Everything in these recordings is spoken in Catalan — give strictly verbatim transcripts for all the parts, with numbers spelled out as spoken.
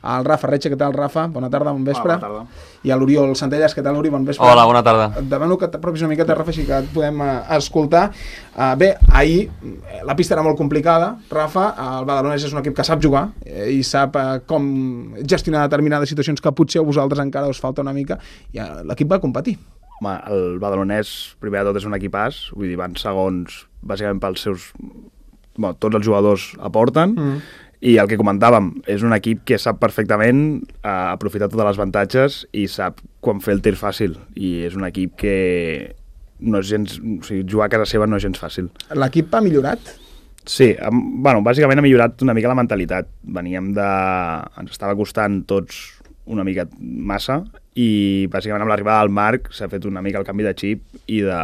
al Rafa Retxe. Què tal, Rafa? Bona tarda, bon vespre. Hola, bona tarda. I a l'Oriol Centelles. Què tal, Ori? Bon vespre. Hola, bona tarda. Et demano que t'apropis una miqueta, Rafa, així que et podem uh, escoltar. Uh, bé, ahir la pista era molt complicada, Rafa. El Badalonès és un equip que sap jugar eh, i sap uh, com gestionar determinades situacions que potser a vosaltres encara us falta una mica, i uh, l'equip va competir. Home, el Badalonès, primer de tot, és un equipàs, vull dir, van segons, bàsicament pels seus... Bueno, tots els jugadors aporten, mm. i el que comentàvem, és un equip que sap perfectament eh, aprofitar totes les avantatges i sap quan fer el tir fàcil, i és un equip que no és gens... O sigui, jugar a casa seva no és gens fàcil. L'equip ha millorat? Sí, hem, bueno, bàsicament ha millorat una mica la mentalitat. Veníem de... Ens estava costant tots una mica massa, i bàsicament amb l'arribada del Marc s'ha fet una mica el canvi de xip i de,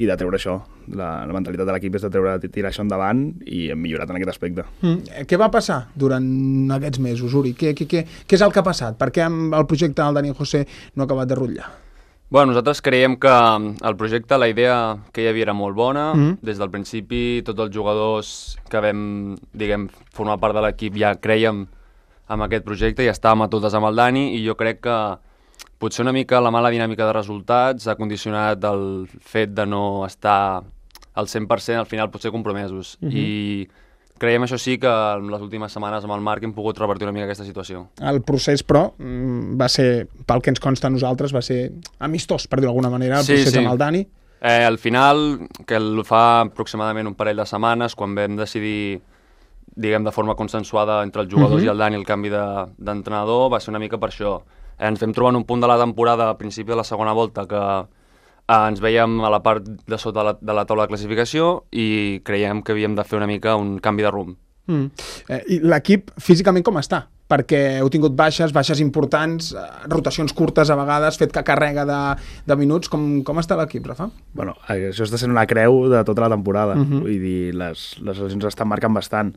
i de treure això. La, la mentalitat de l'equip és de treure, de tirar això endavant, i hem millorat en aquest aspecte. Mm. Què va passar durant aquests mesos, Uri? Què, què, què, què és el que ha passat? Per què el projecte del Dani José no ha acabat de rutllar? Bueno, nosaltres creiem que el projecte, la idea que hi havia era molt bona. Mm. Des del principi, tots els jugadors que vam, diguem, formar part de l'equip ja creiem amb aquest projecte i estàvem a totes amb el Dani, i jo crec que potser una mica la mala dinàmica de resultats ha condicionat el fet de no estar al cent per cent al final potser compromesos. Uh-huh. I creiem, això sí, que en les últimes setmanes amb el Marc hem pogut revertir una mica aquesta situació. El procés, però, va ser, pel que ens consta a nosaltres, va ser amistós, per dir d'alguna manera, el sí, procés sí. amb el Dani. Eh, al final, que el fa aproximadament un parell de setmanes, quan vam decidir, diguem, de forma consensuada entre els jugadors uh-huh. i el Dani, el canvi d'entrenador, de, va ser una mica per això. Eh, ens vam trobar en un punt de la temporada, a principi de la segona volta, que eh, ens veiem a la part de sota de la, de la taula de classificació, i creiem que havíem de fer una mica un canvi de rumb. Mm. Eh, I l'equip físicament com està? Perquè heu tingut baixes, baixes importants, eh, rotacions curtes a vegades, fet que carrega de, de minuts. Com, com està l'equip, Rafa? Bueno, això està sent una creu de tota la temporada. Uh-huh. Vull dir, les, les lesions estan marcant bastant.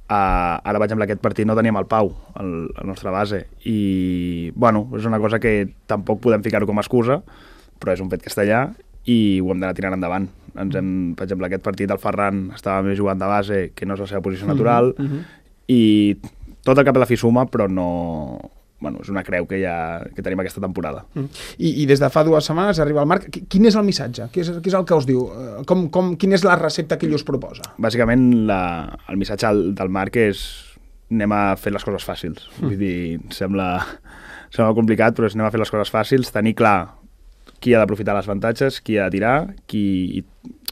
Uh, ara, per exemple, aquest partit no teníem el Pau, el, el nostre base, i, bueno, és una cosa que tampoc podem ficar-ho com a excusa, però és un fet que està allà i ho hem d'anar tirant endavant. Ens hem, per exemple, aquest partit el Ferran estava més jugant de base, que no és la seva posició natural, uh-huh. i tot el cap de la fi suma, però no... Bueno, és una creu que, ja, que tenim aquesta temporada. Mm. I, I des de fa dues setmanes arriba el Marc. Quin és el missatge? Què és, què és el que us diu? Com, com, quina és la recepta que ell us proposa? Bàsicament, la, el missatge del Marc és anem a fer les coses fàcils. Mm. Vull dir, sembla, sembla complicat, però és anem a fer les coses fàcils, tenir clar qui ha d'aprofitar les avantatges, qui ha de tirar, qui...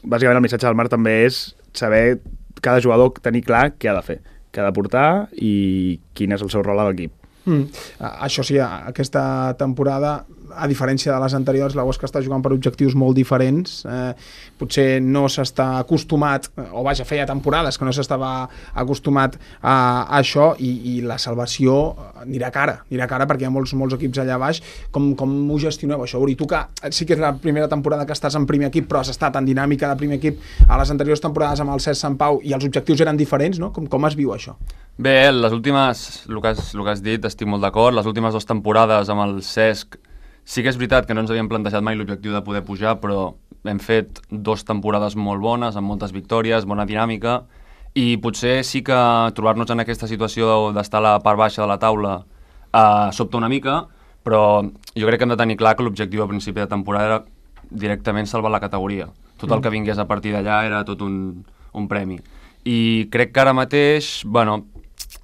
Bàsicament, el missatge del Marc també és saber cada jugador tenir clar què ha de fer, què ha de portar i quin és el seu rol a l'equip. Mm. Uh, això sí, aquesta temporada, a diferència de les anteriors, la Huesca està jugant per objectius molt diferents. Eh, potser no s'està acostumat, o vaja, feia temporades que no s'estava acostumat a, a això, i, i la salvació anirà cara, anirà cara perquè hi ha molts, molts equips allà baix. Com, com ho gestioneu, això, Uri? Tu que sí que és la primera temporada que estàs en primer equip, però has estat en dinàmica de primer equip a les anteriors temporades amb el Cesc Sant Pau, i els objectius eren diferents, no? Com, com es viu això? Bé, les últimes, el que has, el que has dit, estic molt d'acord. Les últimes dues temporades amb el Cesc, sí que és veritat que no ens havíem plantejat mai l'objectiu de poder pujar, però hem fet dues temporades molt bones, amb moltes victòries, bona dinàmica, i potser sí que trobar-nos en aquesta situació d'estar a la part baixa de la taula eh, sobta una mica, però jo crec que hem de tenir clar que l'objectiu a principi de temporada era directament salvar la categoria. Tot el que vingués a partir d'allà era tot un, un premi. I crec que ara mateix, bueno,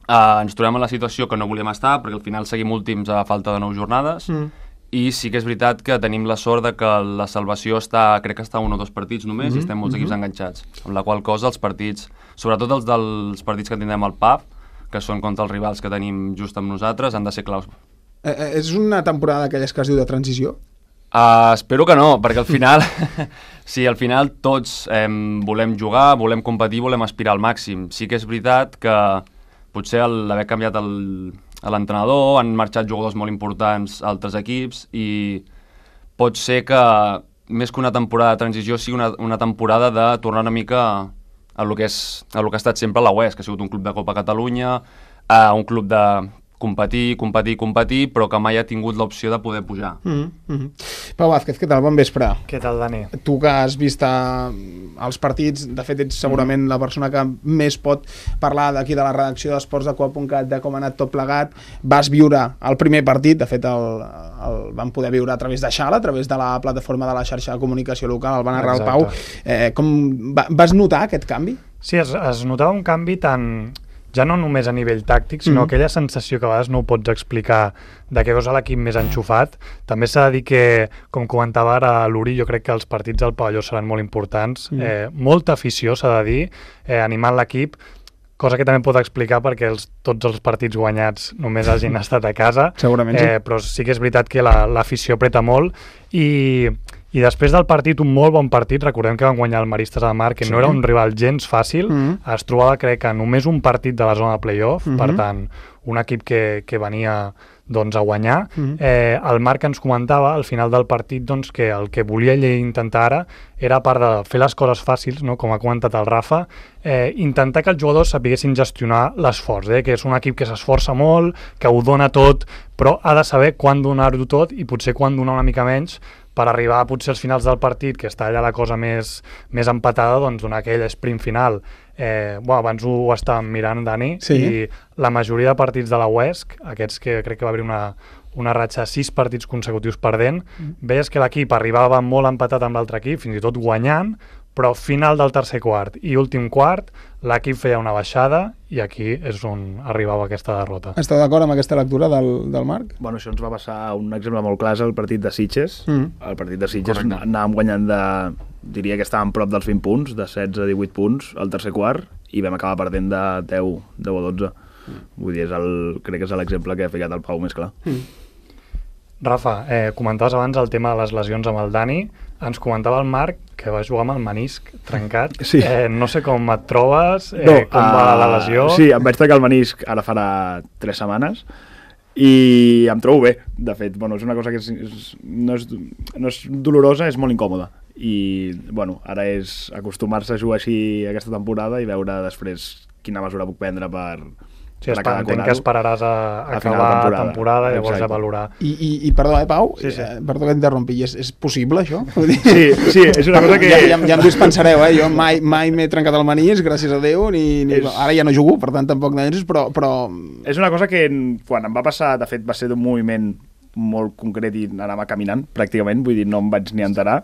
eh, ens trobem en la situació que no volíem estar, perquè al final seguim últims a falta de nou jornades, mm. i sí que és veritat que tenim la sort de que la salvació està, crec que està a un o dos partits només, mm-hmm. i estem molts mm-hmm. equips enganxats, amb la qual cosa els partits, sobretot els dels partits que tindrem al P A F, que són contra els rivals que tenim just amb nosaltres, han de ser claus. Eh, eh, és una temporada d'aquelles que es diu de transició? Uh, espero que no, perquè al final, sí, al final tots eh, volem jugar, volem competir, volem aspirar al màxim. Sí que és veritat que potser l'haver canviat el, l'entrenador, han marxat jugadors molt importants a altres equips, i pot ser que més que una temporada de transició sigui una, una temporada de tornar una mica a lo que, és, a lo que ha estat sempre la U E S, que ha sigut un club de Copa Catalunya, a un club de competir, competir, competir, però que mai ha tingut l'opció de poder pujar. Mm -hmm. Pau Vázquez, què tal? Bon vespre. Què tal, Dani? Tu que has vist els partits, de fet ets segurament la persona que més pot parlar d'aquí de la redacció d'Esports de Coa punt cat de com ha anat tot plegat. Vas viure el primer partit, de fet el, el vam poder viure a través de Xala, a través de la plataforma de la xarxa de comunicació local, el va narrar el Pau. Eh, com va, vas notar aquest canvi? Sí, es, es notava un canvi tant, ja no només a nivell tàctic, sinó mm. aquella sensació que a vegades no ho pots explicar de que veus a l'equip més enxufat. També s'ha de dir que, com comentava ara l'Uri, jo crec que els partits del pavelló seran molt importants. Mm. Eh, molta afició, s'ha de dir, eh, animant l'equip, cosa que també pot explicar perquè els, tots els partits guanyats només hagin estat a casa. Segurament sí. Eh, però sí que és veritat que l'afició la, apreta molt i... I després del partit, un molt bon partit, recordem que van guanyar el Maristes de Mar, que sí. no era un rival gens fàcil, mm -hmm. es trobava, crec, que només un partit de la zona de play-off, mm -hmm. per tant, un equip que, que venia doncs, a guanyar. Mm -hmm. eh, el Marc ens comentava al final del partit doncs, que el que volia ell intentar ara era, a part de fer les coses fàcils, no? Com ha comentat el Rafa, eh, intentar que els jugadors sapiguessin gestionar l'esforç, eh? Que és un equip que s'esforça molt, que ho dona tot, però ha de saber quan donar-ho tot i potser quan donar una mica menys, per arribar potser als finals del partit, que està allà la cosa més, més empatada, doncs donar aquell sprint final. Eh, bueno, abans ho estàvem mirant, Dani, sí. i la majoria de partits de la U E S C, aquests que crec que va haver una, una ratxa de sis partits consecutius perdent, mm. veies que l'equip arribava molt empatat amb l'altre equip, fins i tot guanyant, però final del tercer quart i últim quart l'equip feia una baixada i aquí és on arribava aquesta derrota. Esteu d'acord amb aquesta lectura del, del Marc? Bueno, això ens va passar un exemple molt clar, el partit de Sitges. Mm. El partit de Sitges Correcte. Anàvem guanyant de... diria que estàvem prop dels vint punts, de setze a divuit punts al tercer quart, i vam acabar perdent de deu, deu a dotze. Mm. Vull dir, és el, crec que és l'exemple que ha ficat el Pau més clar. Mm. Rafa, eh, comentaves abans el tema de les lesions amb el Dani. Ens comentava el Marc que va jugar amb el menisc trencat. Sí. Eh, no sé com et trobes, eh, no, com uh, va la lesió. Sí, em vaig trencar el menisc ara farà tres setmanes i em trobo bé. De fet, bueno, és una cosa que és, és, no, és, no és dolorosa, és molt incòmoda. I bueno, ara és acostumar-se a jugar així aquesta temporada i veure després quina mesura puc prendre per... Sí, entenc que esperaràs a, a acabar la temporada, temporada i llavors ja valorar. I, i, i perdó, eh, Pau? Sí, sí. Eh, perdó que t'interrompi, és, és possible, això? Sí, sí, és una cosa que... Ja, ja, ja em dispensareu, eh? Jo mai, mai m'he trencat el menisc, gràcies a Déu, ni, ni... És... ara ja no jugo, per tant, tampoc n'és, però, però... És una cosa que quan em va passar, de fet, va ser d'un moviment molt concret i anava caminant, pràcticament, vull dir, no em vaig ni enterar.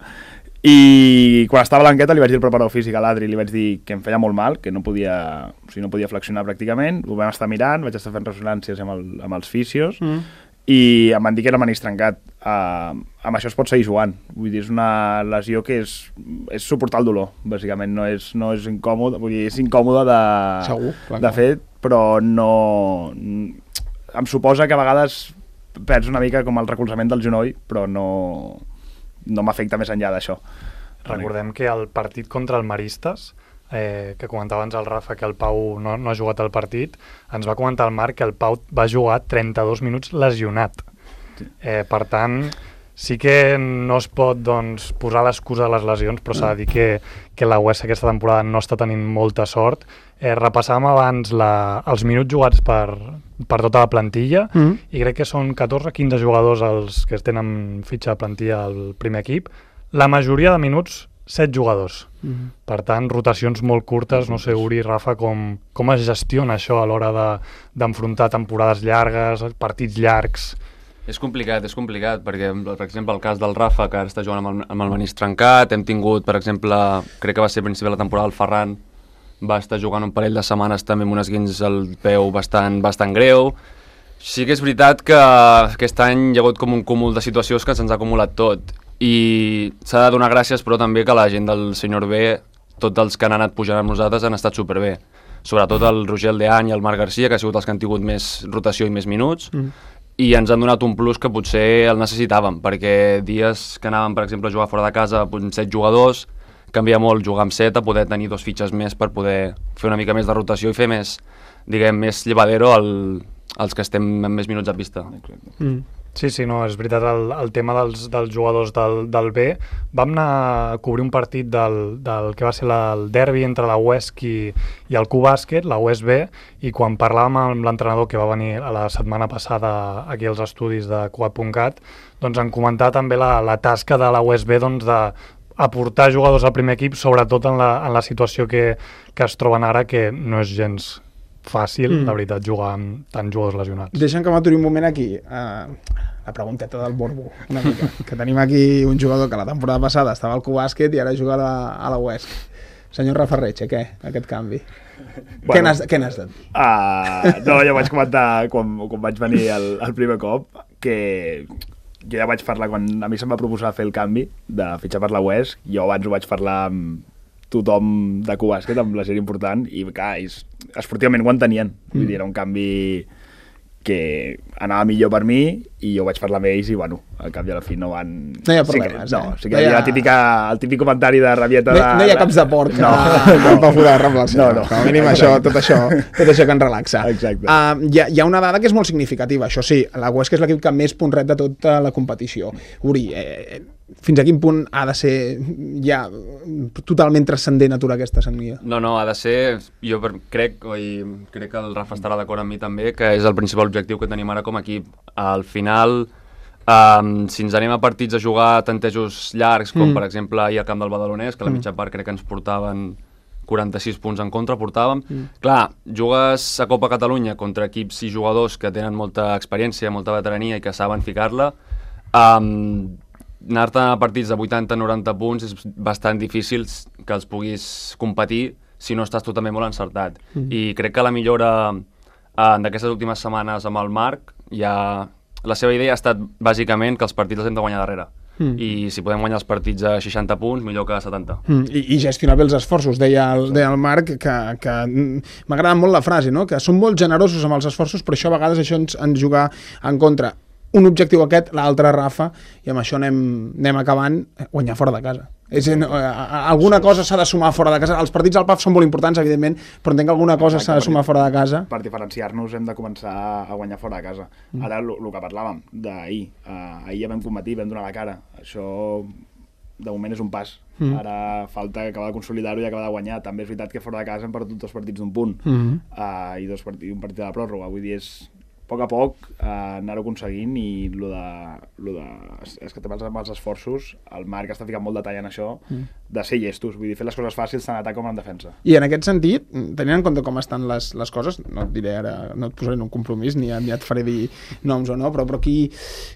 I quan estava a l'enquesta li vaig dir al preparador físic a l'Adri, li vaig dir que em feia molt mal, que no podia, o sigui, no podia flexionar pràcticament, ho vam estar mirant, vaig estar fent ressonàncies amb, el, amb els fisios mm. i em van dir que era menisc trencat. Uh, amb això es pot seguir jugant, vull dir, és una lesió que és, és suportar el dolor, bàsicament, no és, no és incòmode, vull dir, és incòmode de, Segur, clar, de fet, però no... em suposa que a vegades perds una mica com el recolzament del genoll, però no... no m'afecta més enllà d'això. Recordem que el partit contra el Maristes, eh, que comentava abans el Rafa que el Pau no, no ha jugat al partit, ens va comentar el Marc que el Pau va jugar trenta-dos minuts lesionat. Sí. Eh, per tant, sí que no es pot doncs, posar l'excusa de les lesions, però s'ha de dir que, que la U E S aquesta temporada no està tenint molta sort. Eh, repassàvem abans la, els minuts jugats per, per tota la plantilla mm. i crec que són catorze quinze jugadors els que tenen fitxa de plantilla al primer equip. La majoria de minuts, set jugadors. Mm. Per tant, rotacions molt curtes. No sé, Uri, Rafa, com, com es gestiona això a l'hora de, d'enfrontar temporades llargues, partits llargs? És complicat, és complicat, perquè, per exemple, el cas del Rafa, que ara està jugant amb el, amb el menisc trencat, hem tingut, per exemple, crec que va ser a principi de la temporada, el Ferran va estar jugant un parell de setmanes també amb un esguins al peu bastant, bastant greu. Sí que és veritat que aquest any hi ha hagut com un cúmul de situacions que se'ns ha acumulat tot, i s'ha de donar gràcies, però també que la gent del senyor B, tots els que han anat pujant amb nosaltres han estat superbé. Sobretot el Roger Aldeany i el Marc Garcia, que ha sigut els que han tingut més rotació i més minuts, mm. i ens han donat un plus que potser el necessitàvem, perquè dies que anàvem, per exemple, a jugar fora de casa amb set jugadors, canvia molt jugar amb set a poder tenir dos fitxes més per poder fer una mica més de rotació i fer més, diguem, més llevadero el, els que estem amb més minuts a pista. Mm. Sí, sí, no, és veritat, el, el tema dels, dels jugadors del, del B. Vam anar a cobrir un partit del, del que va ser la, el derbi entre la U E S C i, i el Q-Bàsquet, la U E S B, i quan parlàvem amb l'entrenador que va venir a la setmana passada aquí als estudis de Cugat punt cat, doncs en comentar també la, la tasca de la U E S B doncs, de aportar jugadors al primer equip, sobretot en la, en la situació que, que es troben ara, que no és gens fàcil, mm. la veritat, jugar amb tants jugadors lesionats. Deixa'm que m'aturi un moment aquí. Uh, la pregunteta del Borbo, una mica. Que tenim aquí un jugador que la temporada passada estava al Q-Bàsquet i ara juga a la, a la U E S C. Senyor Rafa Retxe, què? Aquest canvi. Bueno, què n'has què n'has de dir? Uh, no, ja vaig comentar quan, quan vaig venir el, el primer cop que jo ja vaig parlar, quan a mi se'm va proposar fer el canvi de fitxar per la U E S C, jo abans ho vaig parlar amb tothom de Q-Bàsquet, amb la gent important, i clar, esportivament ho entenien. Vull dir, era un canvi que anava millor per mi i jo vaig parlar amb ells i, bueno, al cap i a la fi no van... No hi ha problemes, sí que, no, eh? sí que no hi ha la típica, el típic comentari de rabieta de... No, no hi ha caps de porc no. que no. va forar de el senyor. No, no. Com a mínim això, tot això, tot això que ens relaxa. Exacte. Uh, hi, ha, hi ha una dada que és molt significativa, això sí, la U E S C és l'equip que més punt ret de tota la competició. Uri, eh, fins a quin punt ha de ser ja totalment transcendent aturar aquesta sagnia? No, no, ha de ser, jo per, crec, i crec que el Rafa estarà d'acord amb mi també, que és el principal objectiu que tenim ara com a equip. Al final, um, si ens anem a partits a jugar tantejos llargs, com mm. per exemple ahir al camp del Badalonès, que a la mitja part crec que ens portaven quaranta-sis punts en contra, portàvem. Mm. Clar, jugues a Copa Catalunya contra equips i jugadors que tenen molta experiència, molta veterania i que saben ficar-la. Um, anar-te a partits de vuitanta a noranta punts és bastant difícil que els puguis competir si no estàs tu també molt encertat. Mm. I crec que la millora eh, d'aquestes últimes setmanes amb el Marc, ja la seva idea ha estat bàsicament que els partits els hem de guanyar darrere. Mm. I si podem guanyar els partits a seixanta punts, millor que a setanta. Mm. I, I gestionar bé els esforços. Deia el, deia el Marc que, que m'agrada molt la frase, no? Que són molt generosos amb els esforços, però això a vegades això ens, ens juga en contra. Un objectiu aquest, l'altre, Rafa, i amb això anem, anem acabant, guanyar fora de casa. És, no, alguna cosa s'ha de sumar fora de casa. Els partits al P A F són molt importants, evidentment, però entenc que alguna cosa s'ha de sumar fora de casa. Per diferenciar-nos hem de començar a guanyar fora de casa. Mm. Ara, el que parlàvem d'ahir, uh, ahir ja vam competir, vam donar la cara. Això, de moment, és un pas. Mm. Ara falta acabar de consolidar-ho i acabar de guanyar. També és veritat que fora de casa hem perdut dos partits d'un punt mm. uh, i dos partits, un partit de la pròrroga. Vull dir, és a poc a poc uh, anar-ho aconseguint i lo de, lo de, és que també els esforços, el Marc està ficant molt detall en això, mm. de ser llestos, vull dir, fer les coses fàcils tant en atac com en defensa. I en aquest sentit, tenint en compte com estan les, les coses, no et diré ara, no et posaré en un compromís, ni, ni et faré dir noms o no, però, però qui,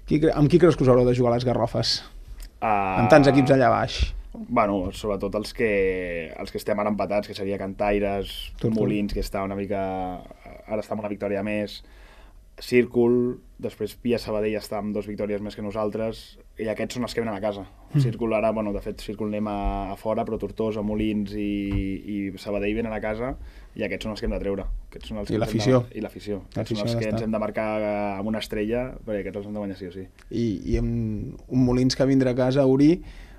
qui, amb qui creus que us haureu de jugar les garrofes? Uh, amb tants equips allà baix. Bueno, sobretot els que, els que estem ara empatats, que seria Cantaires, Tortol. Molins, que està una mica, ara està amb una victòria més, Círcul, després Pia Sabadell està amb dues victòries més que nosaltres i aquests són els que venen a casa. Mm. Círcul ara, bueno, de fet Círcul anem a, a fora, però Tortosa, Molins i, i Sabadell venen a casa i aquests són els que hem de treure. Aquests són els I l'afició. I l'afició. Aquests són els que ens hem de marcar amb una estrella perquè aquests els hem de guanyar sí o sí. I, i amb un Molins que vindrà a casa, Uri,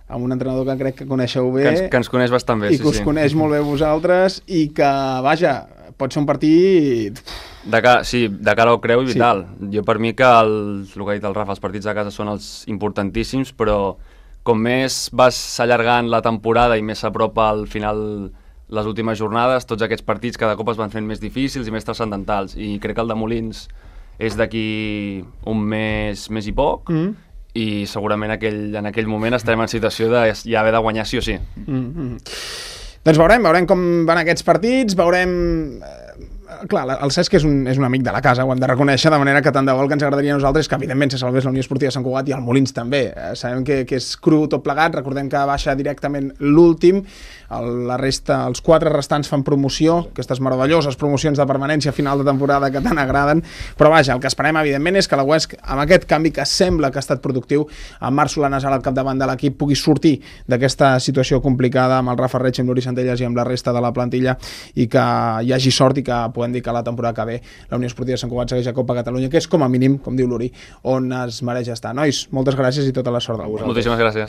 amb un entrenador que crec que coneixeu bé. Que ens, que ens coneix bastant bé, i sí, que us sí. coneix molt bé vosaltres i que, vaja, pot ser un partit... De cara, sí, de cara al creu i vital. Sí. Jo per mi que, el, el que ha dit el Rafa, els partits de casa són els importantíssims, però com més vas allargant la temporada i més s'apropa al final les últimes jornades, tots aquests partits cada cop es van fent més difícils i més transcendentals. I crec que el de Molins és d'aquí un mes, mes i poc, mm. i segurament aquell, en aquell moment estarem en situació de ja haver de guanyar sí o sí. Mm-hmm. Doncs veurem, veurem com van aquests partits, veurem... Clar, el Cesc és un, és un amic de la casa, ho hem de reconèixer, de manera que tant de vol que ens agradaria a nosaltres que evidentment se salvés la Unió Esportiva de Sant Cugat i el Molins també. Eh, sabem que, que és cru tot plegat, recordem que baixa directament l'últim, la resta, els quatre restants fan promoció, aquestes meravelloses promocions de permanència a final de temporada que tant agraden, però vaja, el que esperem evidentment és que la U E S C, amb aquest canvi que sembla que ha estat productiu, amb Marc Solanas al capdavant de l'equip, pugui sortir d'aquesta situació complicada amb el Rafa Reig, amb l'Uri Centelles i amb la resta de la plantilla i que hi hagi sort i que podem dir que la temporada que ve la Unió Esportiva de Sant Cugat segueix a Copa Catalunya, que és com a mínim, com diu l'Uri, on es mereix estar. Nois, moltes gràcies i tota la sort del món. Moltíssimes gràcies.